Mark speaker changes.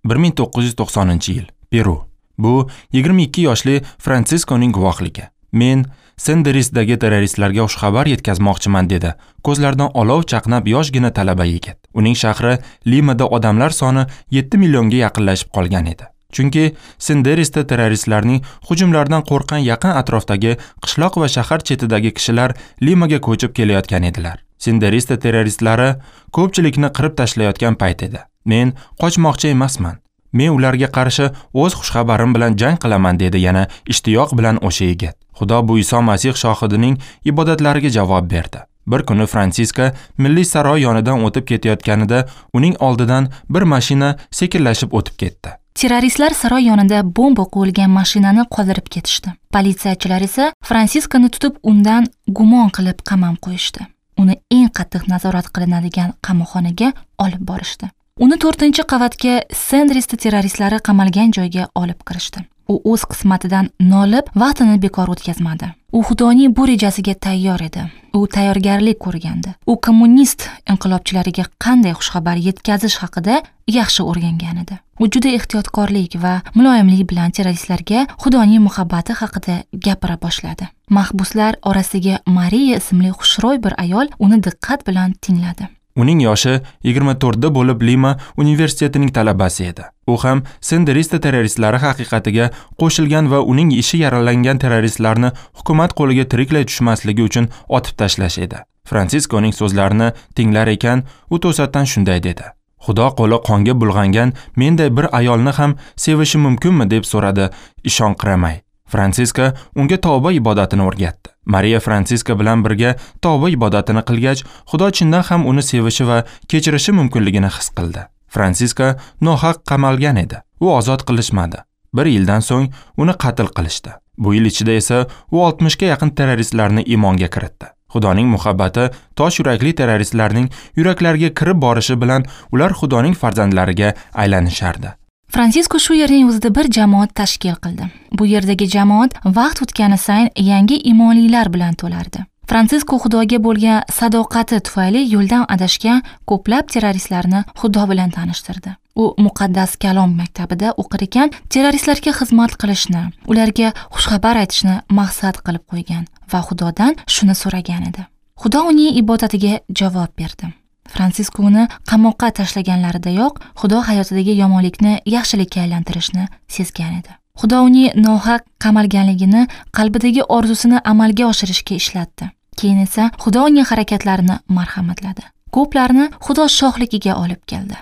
Speaker 1: 1990-yil, Peru. Bu 22 yoshli Fransiskoning guvohligi. Men Senderisdagi terroristlarga xushxabar yetkazmoqchiman, dedi. Ko'zlaridan olov chaqnab yoshgina talaba yigit. Uning shahri Limada odamlar soni 7 millionga yaqinlashib qolgan edi. Chunki Senderisda terroristlarning hujumlaridan qo'rqqan yaqin atrofdagi qishloq va shahar chetidagi kishilar Limaga ko'chib kelayotgan edilar. Senderista terroristlari ko'pchilikni qirib tashlayotgan payt edi. Men qochmoqchi emasman. Men ularga qarshi o'z xushxabarim bilan jang qilaman, dedi yana ishtiyoq bilan o'sha yigit. Xudo bu Iso Masih shohidining ibodatlariga javob berdi. Bir kuni Fransiska milliy saroy yonidan o'tib ketayotganida uning oldidan bir mashina sekinlashib o'tib ketdi.
Speaker 2: Terroristlar saroy yonida bomba qo'yilgan mashinani qoldirib ketishdi. Politsiyachilar esa Fransiskani tutib undan gumon qilib qamab qo'yishdi. Uni eng qattiq nazorat qilinadigan qamoqxonaga olib borishdi. Uni 4-qavatga Senderista terroristlari qamalgan joyga olib kirishdi. U o'z qismatidan nolib, vaqtini bekor o'tkazmadi. U Xudoning bu rejasiga tayyor edi. U tayyorgarlik ko'rgandi. U kommunist inqilobchilariga qanday xushxabar yetkazish haqida yaxshi o'rgangan edi. U juda ehtiyotkorlik va muloyimlik bilan terroristlarga Xudoning muhabbati haqida gapira boshladi. Mahbuslar orasiga Mariya ismli xushro'y bir ayol uni diqqat bilan tingladi.
Speaker 1: Uning yoshi 24 da bo'lib Lima universitetining talabasi edi. U ham Senderista terroristlari haqiqatiga qo'shilgan va uning ishi yaralangan terroristlarni hukumat qo'liga tiriklay tushmasligi uchun otib tashlash edi. Fransiskoning so'zlarini tinglar ekan, u to'satdan shunday dedi: Xudo qo'li qonga bulg'angan menday bir ayolni ham sevishi mumkinmi, deb so'radi ishonqiramay. Fransiska unga tavba ibodatini o'rgatdi. Mariya Fransiska bilan birga tavba ibodatini qilgach, Xudo chindan ham uni sevishi va kechirishi mumkinligini his qildi. Fransiska nohaq qamalgan edi. U ozod qilishmadi. Bir yildan so'ng uni qatl qilishdi. Bu yil ichida esa u 60 ga yaqin terroristlarni iymonga kiritdi. Xudoning muhabbati tosh yurakli terroristlarning yuraklariga kirib borishi bilan ular Xudoning farzandlariga aylanishardi.
Speaker 2: Fransisko shu yerning o'zida bir jamoat tashkil qildi. Bu yerdagi jamoat vaqt o'tgani sayin yangi imonlilar bilan to'lardi. Fransisko Xudoga bo'lgan sadoqati tufayli yo'ldan adashgan ko'plab terroristlarni Xudo bilan tanishtirdi. U muqaddas kalom maktabida o'qir ekan, terroristlarga xizmat qilishni, ularga xushxabar aytishni maqsad qilib qo'ygan va Xudodan shuni so'ragan edi. Xudo uning ibodatiga javob berdi. Fransisko uni qamoqqa tashlaganlaridayoq Xudo hayotidagi yomonlikni yaxshilikka aylantirishni sezgan edi. Xudo uning nohaq qamalganligini qalbidagi orzusini amalga oshirishga ishlatdi. Keyin esa Xudo uning harakatlarini marhamatladi. Ko'plarni Xudo shohligiga olib keldi.